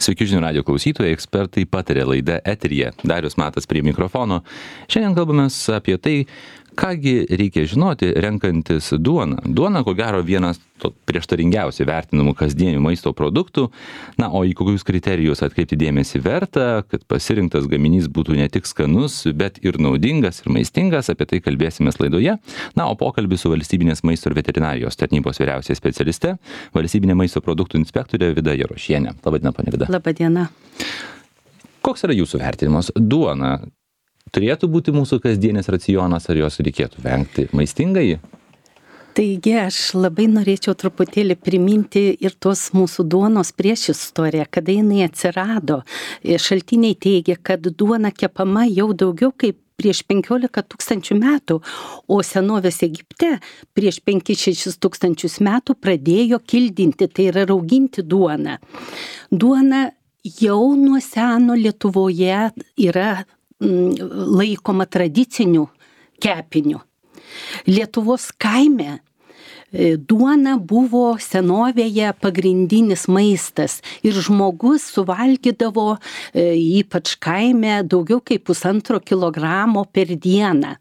Sveiki žinių radio klausytojai, ekspertai patarė laida eteryje. Darius Matas prie mikrofono. Šiandien kalbame apie tai, kągi reikia žinoti renkantis duoną. Duona, ko gero, vienas prieštaringiausiai vertinamų kasdienių maisto produktų. Na, o į kokius kriterijus atkreipti dėmesį verta, kad pasirinktas gaminys būtų ne tik skanus, bet ir naudingas ir maistingas, apie tai kalbėsime laidoje. Na, o pokalbį su valstybinės maisto ir veterinarijos tarnybos vyriausiaja specialiste, valstybinė maisto produktų inspektorė Vida Jarošienė. Labadiena, ponia Vida. Labadiena. Koks yra jūsų vertinimas? Duona turėtų būti mūsų kasdienis racionas, ar jos reikėtų vengti? Maistingai? Taigi aš labai norėčiau truputėlį priminti ir tos mūsų duonos priešistorę, kada jinai atsirado. Šaltiniai teigia, kad duona kepama jau daugiau kaip prieš 15 000 metų, o senovės Egipte prieš 5-6 tūkstančius metų pradėjo kildinti, tai yra rauginti duoną. Duona jau nuo seno Lietuvoje yra laikoma tradiciniu kepiniu. Lietuvos kaime duona buvo senovėje pagrindinis maistas ir žmogus suvalgydavo, ypač kaime, daugiau kaip 1,5 kilogramo per dieną.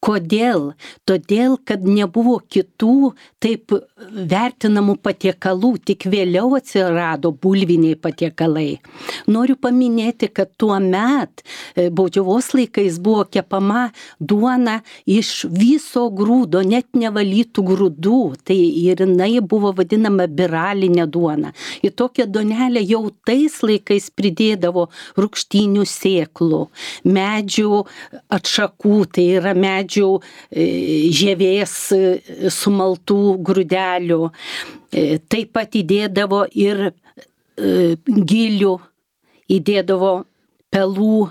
Kodėl? Todėl, kad nebuvo kitų taip vertinamų patiekalų, tik vėliau atsirado bulviniai patiekalai. Noriu paminėti, kad tuo met baudžiavos laikais buvo kepama duona iš viso grūdo, net nevalytų grūdų. Tai ir jinai buvo vadinama biralinė duona. Į tokią duonelę jau tais laikais pridėdavo rūgštynių sėklų, medžių atšakų, tai yra medžių žievės sumaltų grūdelių. Taip pat įdėdavo ir gilių, įdėdavo pelų.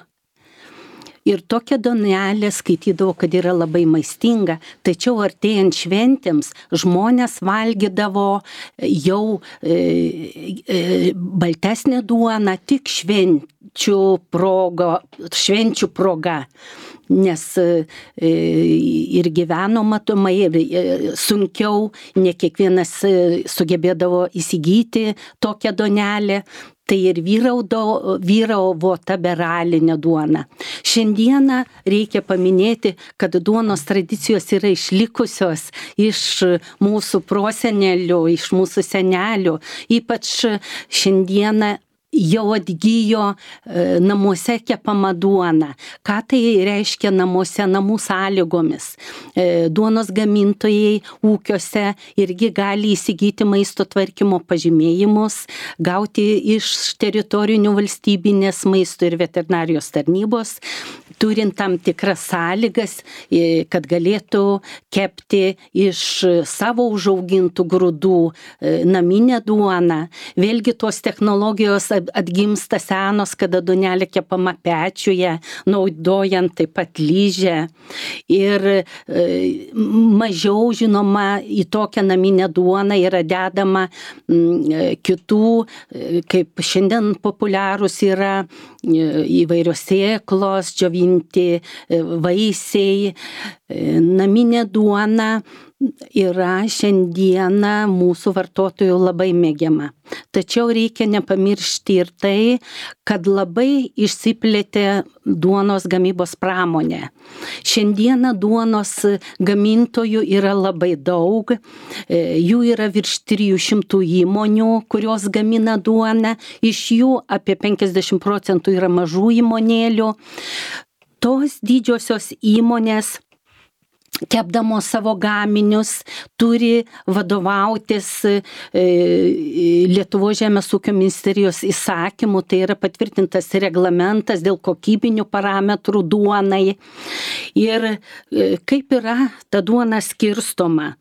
Ir tokia duonelė skaitydavo, kad yra labai maistinga, tačiau artėjant šventėms žmonės valgydavo jau baltesnę duoną tik švenčių proga. Nes ir gyveno matomai, ir sunkiau, ne kiekvienas sugebėdavo įsigyti tokią duonelę. Tai ir vyravo ta beralinė duona. Šiandieną reikia paminėti, kad duonos tradicijos yra išlikusios iš mūsų prosenelių, iš mūsų senelių. Ypač šiandieną jau atgijo namuose kepama duona. Ką tai reiškia namuose, namų sąlygomis? Duonos gamintojai ūkiuose irgi gali įsigyti maisto tvarkymo pažymėjimus, gauti iš teritorinių valstybinės maisto ir veterinarijos tarnybos, turint tam tikras sąlygas, kad galėtų kepti iš savo užaugintų grūdų naminę duoną. Vėlgi tos technologijos atgimsta senos, kada duonelė kepama pečiuje, naudojant taip pat lyžę. Ir mažiau, žinoma, į tokią naminę duoną yra dedama kitų, kaip šiandien populiarūs yra įvairios sėklos, džiovinti vaisiai. Naminė duona yra šiandieną mūsų vartotojų labai mėgiama. Tačiau reikia nepamiršti ir tai, kad labai išsiplėtė duonos gamybos pramonė. Šiandieną duonos gamintojų yra labai daug, jų yra virš 300 įmonių, kurios gamina duoną, iš jų apie 50% yra mažų įmonėlių. Tos didžiosios įmonės, kepdamos savo gaminius, turi vadovautis Lietuvos žemės ūkio ministerijos įsakymu, tai yra patvirtintas reglamentas dėl kokybinių parametrų duonai. Ir kaip yra ta duona skirstoma?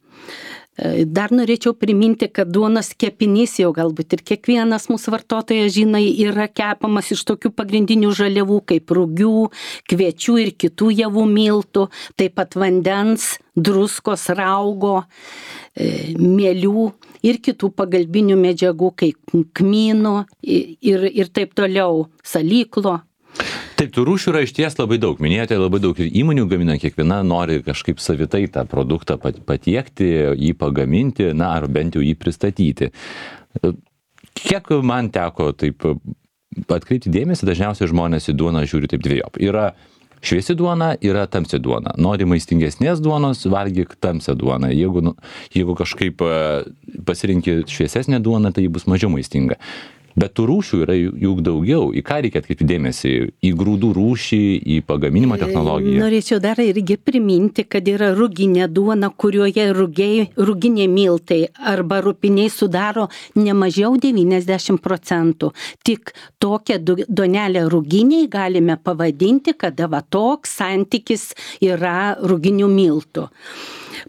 Dar norėčiau priminti, kad duonos kepinys jau galbūt ir kiekvienas mūsų vartotojas žino, yra kepamas iš tokių pagrindinių žaliavų kaip rugių, kviečių ir kitų javų miltų, taip pat vandens, druskos, raugo, mielių ir kitų pagalbinių medžiagų kaip kmynų ir taip toliau, salyklo. Taip, tų rūšių yra išties labai daug. Minėjote, labai daug ir įmonių gamina, kiekviena nori kažkaip savitai tą produktą patiekti, jį pagaminti, na, ar bent jau jį pristatyti. Kiek man teko taip atkreipti dėmesį, dažniausiai žmonės į duoną žiūri taip dviejopai. Yra šviesi duona, yra tamsi duona. Nori maistingesnės duonos, valgyk tamsią duoną. Jeigu kažkaip pasirinki šviesesnę duoną, tai ji bus mažiau maistinga. Bet tų rūšių yra juk daugiau. Į ką reikia atkreipti dėmesį? Į grūdų rūšį, į pagaminimo technologiją? Norėčiau dar irgi priminti, kad yra ruginė duona, kurioje ruginiai miltai arba rupiniai sudaro ne mažiau 90%. Tik tokią duonelę ruginiai galime pavadinti, kada va toks santykis yra ruginių miltų.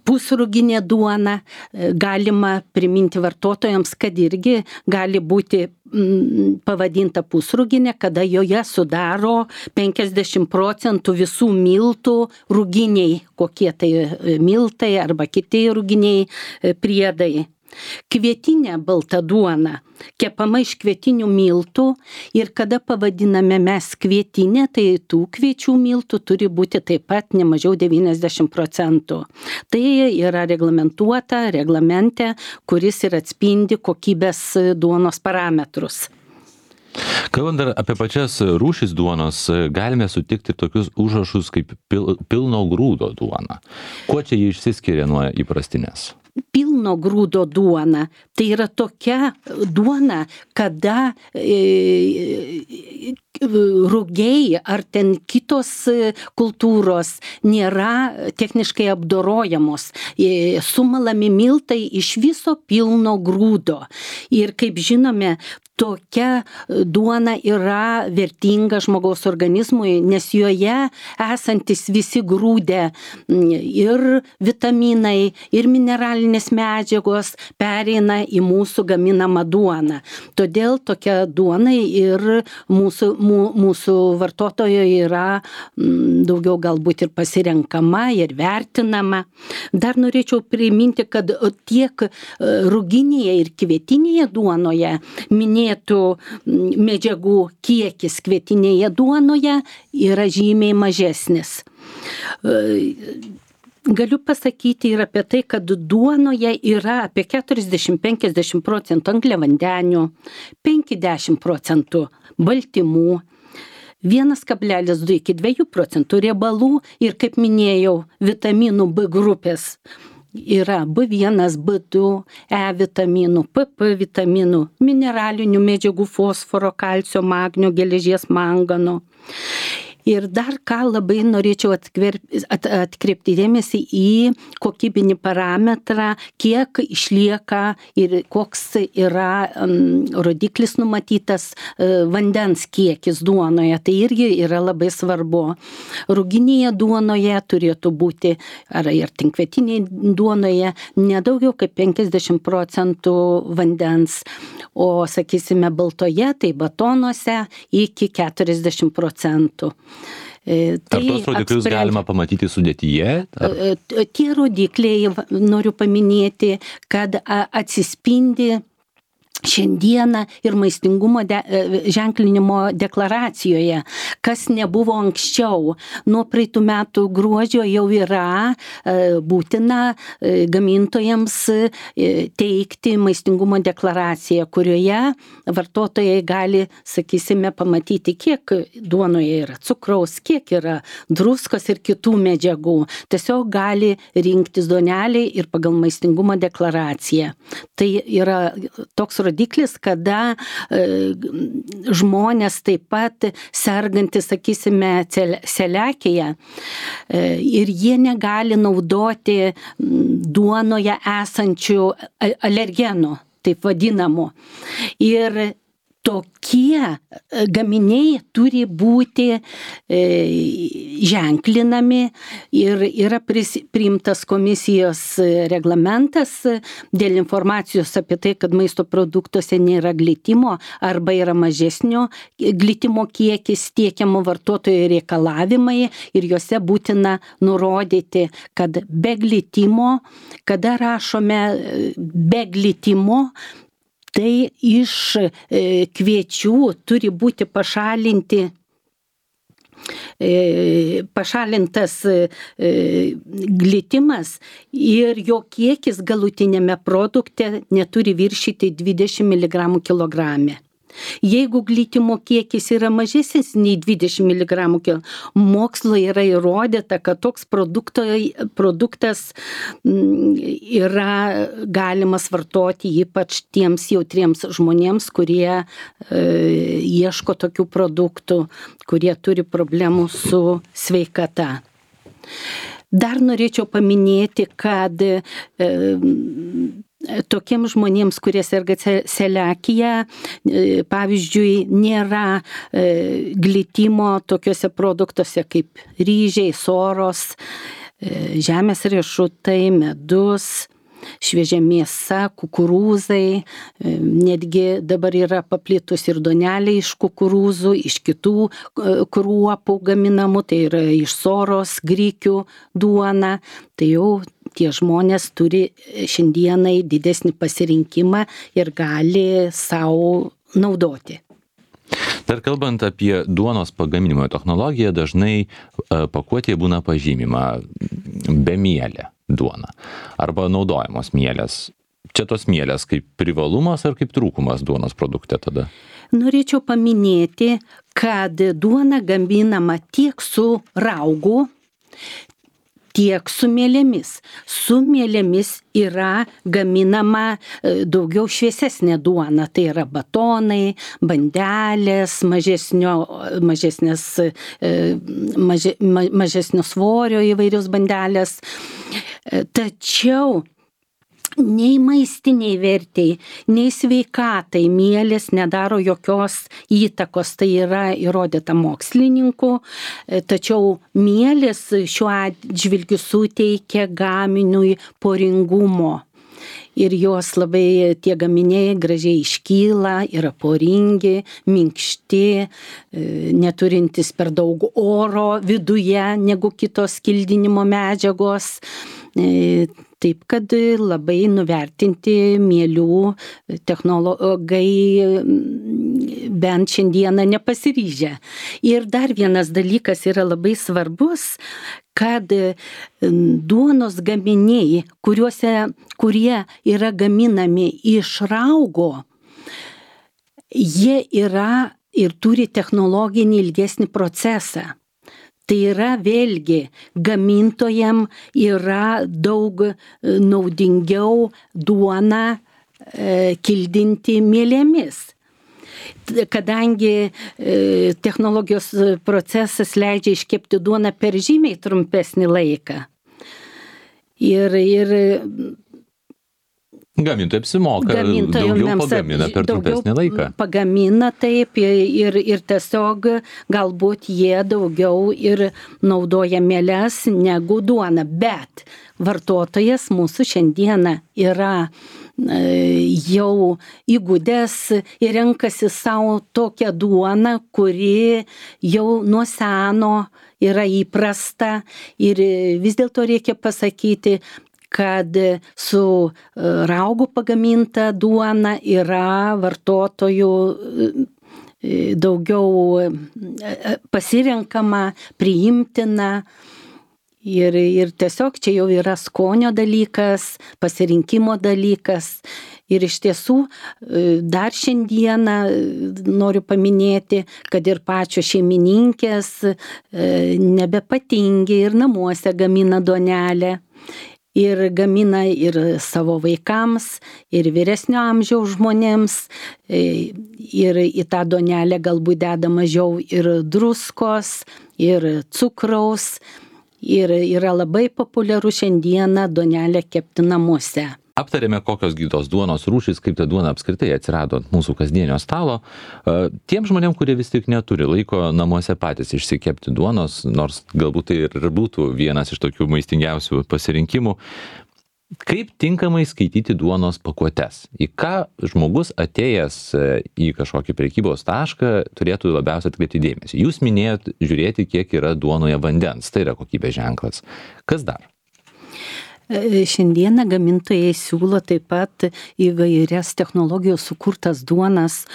Pusruginė duona galima priminti vartotojams, kad irgi gali būti pavadinta pusruginė, kada joje sudaro 50% visų miltų ruginiai, kokie tai miltai arba kiti ruginiai priedai. Kvietinė balta duona kepama iš kvietinių miltų ir kada pavadiname mes kvietinė, tai tų kviečių miltų turi būti taip pat ne mažiau 90%. Tai yra reglamentuota reglamente, kuris ir atspindi kokybės duonos parametrus. Kalbant dar apie pačias rūšis duonos, galime sutikti tokius užrašus kaip pilno grūdo duona. Kuo čia jie išsiskiria nuo įprastinės? Pilno grūdo duona tai yra tokia duona, kada rugiai ar ten kitos kultūros nėra techniškai apdorojamos. Sumalami miltai iš viso pilno grūdo. Ir kaip žinome, tokia duona yra vertinga žmogaus organizmui, nes joje esantis visi grūdė ir vitaminai, ir mineralinės medžiagos pereina į mūsų gaminamą duoną. Todėl tokia duona ir mūsų vartotojo yra daugiau galbūt ir pasirenkama ir vertinama. Dar norėčiau priminti, kad tiek ruginėje ir kvietinėje duonoje minėtų medžiagų kiekis kvietinėje duonoje yra žymiai mažesnis. Galiu pasakyti ir apie tai, kad duonoje yra apie 40-50% angliavandenių, 50% baltymų, 1,2 iki 2% riebalų ir, kaip minėjau, vitaminų B grupės. Yra B1, B2, E vitaminų, PP vitaminų, mineralinių medžiagų fosforo, kalcio, magnio, geležies, mangano. Ir dar ką labai norėčiau atkreipti dėmesį į kokybinį parametrą, kiek išlieka ir koks yra rodiklis numatytas vandens kiekis duonoje. Tai irgi yra labai svarbu. Ruginėje duonoje turėtų būti, ar ir tinkvietinėje duonoje, nedaugiau kaip 50% vandens, o, sakysime, baltoje, tai batonuose iki 40%. Ar tos rodiklius galima pamatyti sudėtyje? Tie rodikliai, noriu paminėti, kad atsispindi šiandieną ir maistingumo ženklinimo deklaracijoje, kas nebuvo anksčiau. Nuo praeitų metų gruodžio jau yra būtina gamintojams teikti maistingumo deklaraciją, kurioje vartotojai gali, sakysime, pamatyti, kiek duonoje yra cukraus, kiek yra druskos ir kitų medžiagų. Tiesiog gali rinktis duonelį ir pagal maistingumo deklaraciją. Tai yra toks rodiklis, kada žmonės taip pat sergantys, sakysime, celiakija ir jie negali naudoti duonoje esančių alergenų, taip vadinamų. Ir tokie gaminiai turi būti ženklinami ir yra priimtas komisijos reglamentas dėl informacijos apie tai, kad maisto produktuose nėra glitimo arba yra mažesnio glitimo kiekis, tiekiamo vartotojo reikalavimai ir juose būtina nurodyti, kad be glitimo, kada rašome be glitimo, tai iš kviečių turi būti pašalintas glitimas ir jo kiekis galutinėme produkte neturi viršyti 20 mg kilograme. Jeigu glitimo kiekis yra mažesnis nei 20 mg, mokslo yra įrodyta, kad toks produktas yra galimas vartoti ypač tiems jautriems žmonėms, kurie ieško tokių produktų, kurie turi problemų su sveikata. Dar norėčiau paminėti, kad tokiems žmonėms, kurie serga celiakija, pavyzdžiui, nėra glitimo tokiuose produktuose kaip ryžiai, soros, žemės riešutai, medus, šviežia mėsa, kukurūzai, netgi dabar yra paplitus ir duonelė iš kukurūzų, iš kitų kruopų gaminamų, tai yra iš soros, grikių duona, tai jau tie žmonės turi šiandienai didesnį pasirinkimą ir gali savo naudoti. Dar kalbant apie duonos pagaminimo technologiją, dažnai pakuotėje būna pažymima bemielė duona arba naudojamos mielės. Čia tos mielės kaip privalumas ar kaip trūkumas duonos produkte tada? Norėčiau paminėti, kad duona gaminama tiek su raugu, tiek su mielėmis. Su mielėmis yra gaminama daugiau šviesesnė duona, tai yra batonai, bandelės, mažesnio svorio įvairios bandelės. Tačiau nei maistiniai vertei, nei sveikatai mielės nedaro jokios įtakos, tai yra įrodyta mokslininkų, tačiau mielės šiuo atžvilgiu suteikia gaminiui poringumo. Ir jos labai tie gaminiai gražiai iškyla, yra poringi, minkšti, neturintis per daug oro viduje negu kitos skildinimo medžiagos. Taip, kad labai nuvertinti mielių technologai bent šiandieną nepasiryžę. Ir dar vienas dalykas yra labai svarbus, kad duonos gaminiai, kurie yra gaminami iš raugo, jie yra ir turi technologinį ilgesnį procesą. Tai yra vėlgi gamintojam yra daug naudingiau duoną kildinti mielėmis. Kadangi technologijos procesas leidžia iškepti duoną per žymiai trumpesnį laiką. Ir gamintojai apsimoka, daugiau pagamina per trumpesnį laiką. Pagamina taip ir tiesiog galbūt jie daugiau ir naudoja mieles negu duona, bet vartotojas mūsų šiandieną yra jau įgudęs ir renkasi savo tokią duoną, kuri jau nuo seno yra įprasta ir vis dėlto reikia pasakyti, kad su raugu pagaminta duona yra vartotojų daugiau pasirenkama, priimtina ir tiesiog čia jau yra skonio dalykas, pasirinkimo dalykas. Ir iš tiesų dar šiandieną noriu paminėti, kad ir pačios šeimininkės nebepatingi ir namuose gamina duonelę. Ir gamina ir savo vaikams, ir vyresnio amžiaus žmonėms, ir į tą duonelę galbūt deda mažiau ir druskos, ir cukraus, ir yra labai populiaru šiandieną duonelę kepti namuose. Aptarėme, kokios gytos duonos rūšys, kaip ta duona apskritai atsirado ant mūsų kasdienio stalo. Tiem žmonėm, kurie vis tik neturi laiko namuose patys išsikepti duonos, nors galbūt tai ir būtų vienas iš tokių maistingiausių pasirinkimų, kaip tinkamai skaityti duonos pakuotes? Į ką žmogus atėjęs į kažkokį prekybos tašką turėtų labiausiai atkreipti dėmesį? Jūs minėjot žiūrėti, kiek yra duonoje vandens, tai yra kokybės ženklas. Kas dar? Šiandieną gamintojai siūlo taip pat įvairias technologijos sukurtas duonas,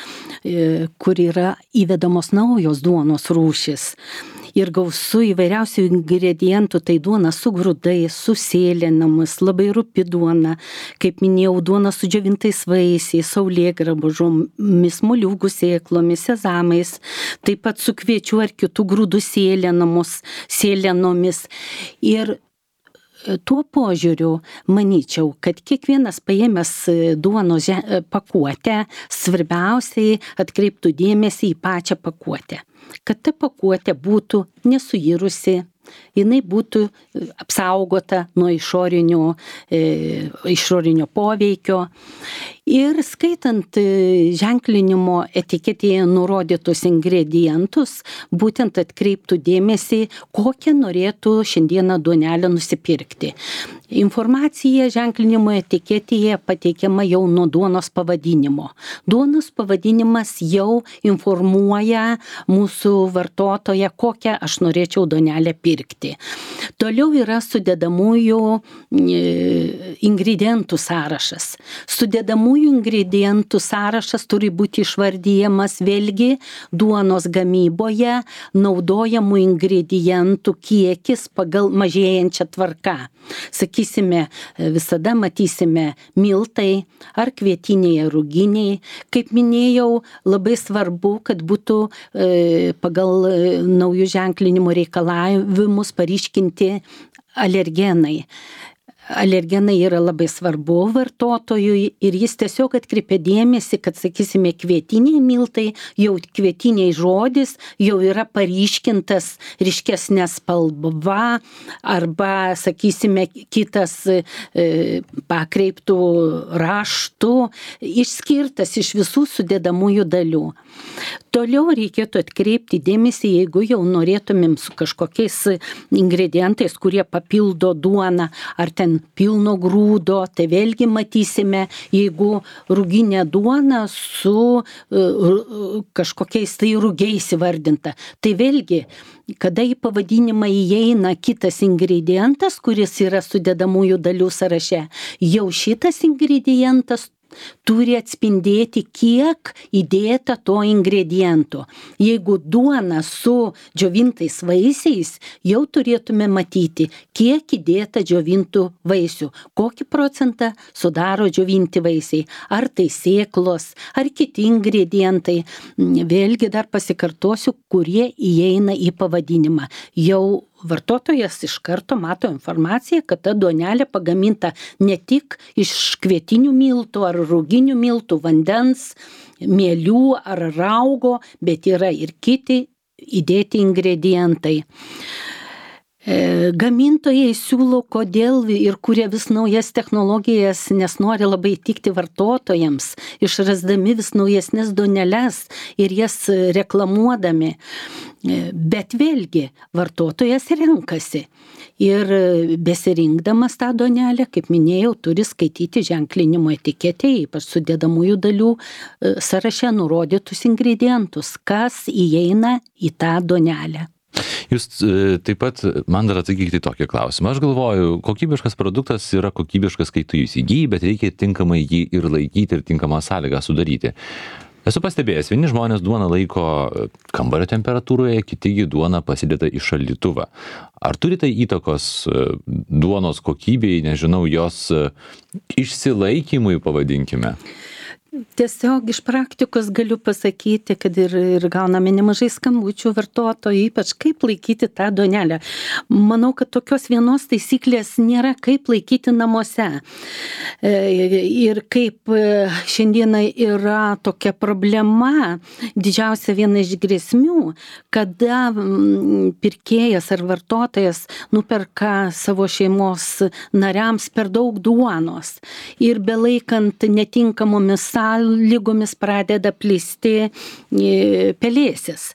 kur yra įvedamos naujos duonos rūšis. ir gausu įvairiausių ingredientų, tai duona su grūdais, su sėlenomis, labai rupi duona, kaip minėjau, duona su džiovintais vaisiais, saulėgrąžomis, moliūgų sėklomis, sezamais, taip pat su kviečiu ar kitų grūdų sėlenomis. Ir tuo požiūriu manyčiau, kad kiekvienas paėmęs duonos pakuotę, svarbiausiai atkreiptų dėmesį į pačią pakuotę. Kad ta pakuotė būtų nesuirusi, jinai būtų apsaugota nuo išorinio poveikio. Ir skaitant ženklinimo etiketėje nurodytus ingredientus, būtent atkreiptų dėmesį, kokią norėtų šiandieną duonelę nusipirkti. Informacija ženklinimo etiketėje pateikiama jau nuo duonos pavadinimo. Duonos pavadinimas jau informuoja mūsų vartotoją, kokią aš norėčiau duonelę pirkti. Toliau yra sudedamųjų ingredientų sąrašas. Sudedamųjų ingredientų sąrašas turi būti išvardyjamas vėlgi duonos gamyboje naudojamų ingredientų kiekis pagal mažėjančią tvarką. Sakysime, visada matysime miltai ar kvietiniai ruginiai. Kaip minėjau, labai svarbu, kad būtų pagal naujų ženklinimo reikalavimus paryškinti alergenai. Alergenai yra labai svarbu vartotojui ir jis tiesiog atkreipia dėmesį, kad, sakysime, kvietiniai miltai, jau kvietiniai žodis jau yra paryškintas ryškesnė spalva arba, sakysime, kitas pakreiptų raštų, išskirtas iš visų sudedamųjų dalių. Toliau reikėtų atkreipti dėmesį, jeigu jau norėtumėm su kažkokiais ingredientais, kurie papildo duoną, ar ten pilno grūdo, tai vėlgi matysime, jeigu ruginė duona su kažkokiais tai rugiais įvardinta. Tai vėlgi, kada į pavadinimą įeina kitas ingredientas, kuris yra sudedamųjų dalių sąraše, jau šitas ingredientas turi atspindėti, kiek įdėta to ingrediento. Jeigu duona su džiovintais vaisiais, jau turėtume matyti, kiek įdėta džiovintų vaisių, kokį procentą sudaro džiovinti vaisiai, ar tai sėklos, ar kiti ingredientai. Vėlgi dar pasikartosiu, kurie įeina į pavadinimą. Jau vartotojas iš karto mato informaciją, kad ta duonelė pagaminta ne tik iš kvietinių miltų ar ruginių miltų, vandens, mielių ar raugo, bet yra ir kiti įdėti ingredientai. Gamintojai siūlo, kodėl ir kuria vis naujas technologijas, nes nori labai tikti vartotojams, išrasdami vis naujesnes duoneles ir jas reklamuodami. Bet vėlgi, vartotojas renkasi. Ir besirinkdamas tą duonelę, kaip minėjau, turi skaityti ženklinimo etiketėje, ypač sudedamųjų dalių sąraše nurodytus ingredientus, kas įeina į tą duonelę. Jūs taip pat man dar atsakykite į tokį klausimą. Aš galvoju, kokybiškas produktas yra kokybiškas, kai tu jį įsigyji, bet reikia tinkamai jį ir laikyti ir tinkamą sąlygą sudaryti. Esu pastebėjęs, vieni žmonės duoną laiko kambario temperatūroje, kiti duoną pasideda į šaldytuvą. Ar turi tai įtakos duonos kokybei, nežinau, jos išsilaikymui, pavadinkime? Tiesiog iš praktikos galiu pasakyti, kad ir gauname nemažai skambučių vartotojų, ypač kaip laikyti tą duonelę. Manau, kad tokios vienos taisyklės nėra, kaip laikyti namuose. Ir kaip šiandieną yra tokia problema, didžiausia viena iš grėsmių, kada pirkėjas ar vartotojas nuperka savo šeimos nariams per daug duonos ir belaikant netinkamomis sąlygomis pradeda plisti pelėsis.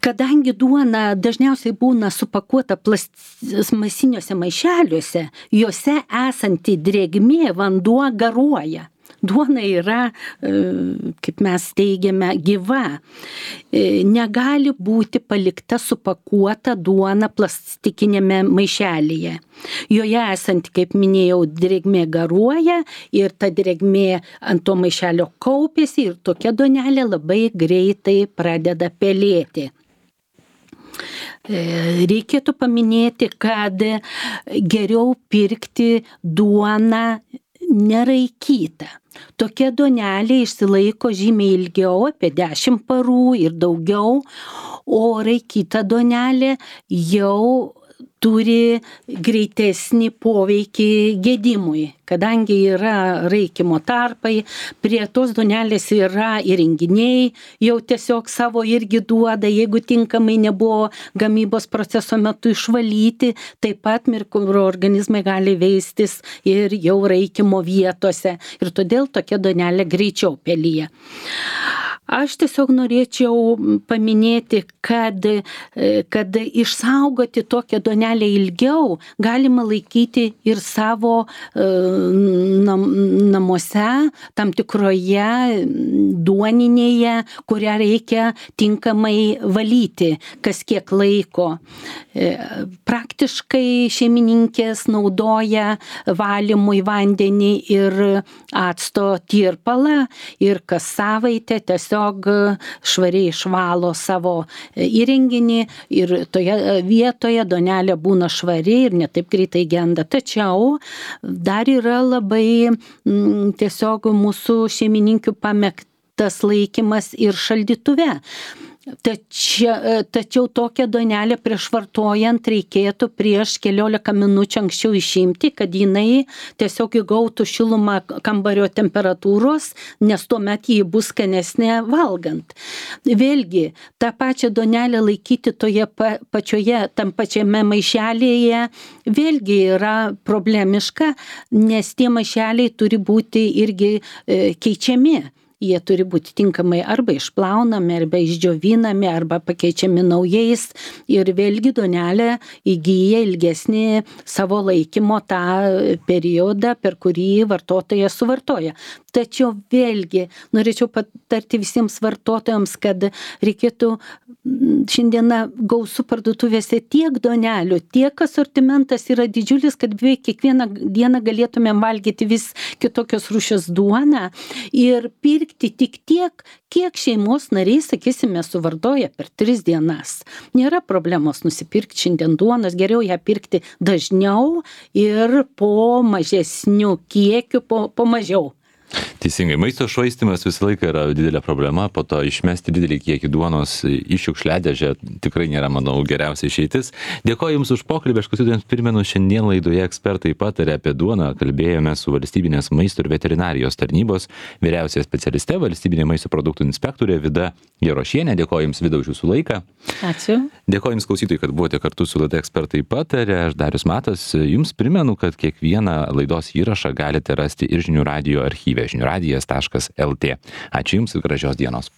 Kadangi duona dažniausiai būna supakuota plastmasiniuose maišeliuose, juose esanti drėgmė, vanduo garuoja. Duona yra, kaip mes teigiame, gyva. Negali būti palikta supakuota duona plastikinėme maišelyje. Joje esant, kaip minėjau, drėgmė garuoja ir ta drėgmė ant to maišelio kaupiasi ir tokia duonelė labai greitai pradeda pelėti. Reikėtų paminėti, kad geriau pirkti duoną neraikytą. Tokia duonelė išsilaiko žymiai ilgiau, apie 10 parų ir daugiau, o raikyta duonelė jau turi greitesnį poveikį gedimui, kadangi yra raikymo tarpai, prie tos duonelės yra įrenginiai, jau tiesiog savo irgi duoda, jeigu tinkamai nebuvo gamybos proceso metu išvalyti, taip pat mikroorganizmai gali veistis ir jau raikymo vietose ir todėl tokia duonelė greičiau pelyja. Aš tiesiog norėčiau paminėti, kad išsaugoti tokią duonelę ilgiau galima laikyti ir savo namuose, tam tikroje duoninėje, kurią reikia tinkamai valyti kas kiek laiko. Praktiškai šeimininkės naudoja valymui vandenį ir acto tirpalą ir kas savaitę tiesiog švariai išvalo savo įrenginį ir toje vietoje duonelė būna švari ir ne taip greitai genda. Tačiau dar yra labai tiesiog mūsų šeimininkių pamėgtas laikymas ir šaldytuve. Tačiau tokią duonelę prieš vartojant reikėtų prieš keliolika minučių anksčiau išimti, kad jinai tiesiog įgautų šilumą kambario temperatūros, nes tuomet ji bus skanesnė valgant. Vėlgi, tą pačią duonelę laikyti tam pačiame maišelėje vėlgi yra problemiška, nes tie maišeliai turi būti irgi keičiami. Jie turi būti tinkamai arba išplaunami, arba išdžiovinami, arba pakeičiami naujais ir vėlgi duonelė įgyja ilgesnį savo laikymo tą periodą, per kurį vartotojas suvartoja. Tačiau vėlgi norėčiau patarti visiems vartotojams, kad reikėtų šiandieną gausu parduotuvėse tiek duonelių, tiek asortimentas yra didžiulis, kad beveik kiekvieną dieną galėtumėm valgyti vis kitokios rūšies duoną ir pirkti tik tiek, kiek šeimos nariai, sakysime, suvartoja per 3 dienas. Nėra problemos nusipirkti šiandien duonos, geriau ją pirkti dažniau ir po mažesnių kiekių, po mažiau. Teisingai, maisto švaistymas visą laiką yra didelė problema, po to išmesti didelį kiekį duonos į šiukšliadėžę tikrai nėra, manau, geriausia išeitis. Dėkoju Jums už pokalbį, aš klausytojams primenu, šiandien laidoje ekspertai patarė apie duoną, kalbėjome su Valstybinės maisto ir veterinarijos tarnybos vyriausiaja specialiste, valstybinė maisto produktų inspektorė Vida Jarošienė. Dėkoju Jums, Vida, už Jūsų laiką. Ačiū. Dėkoju Jums, klausytojai, kad buvote kartu su laida ekspertai patarė. Aš Darius Matas. Jums primenu, kad kiekvieną laidos įrašą galite rasti ir žinių radijo archyve žiniųradijas.lt. Ačiū Jums ir gražios dienos.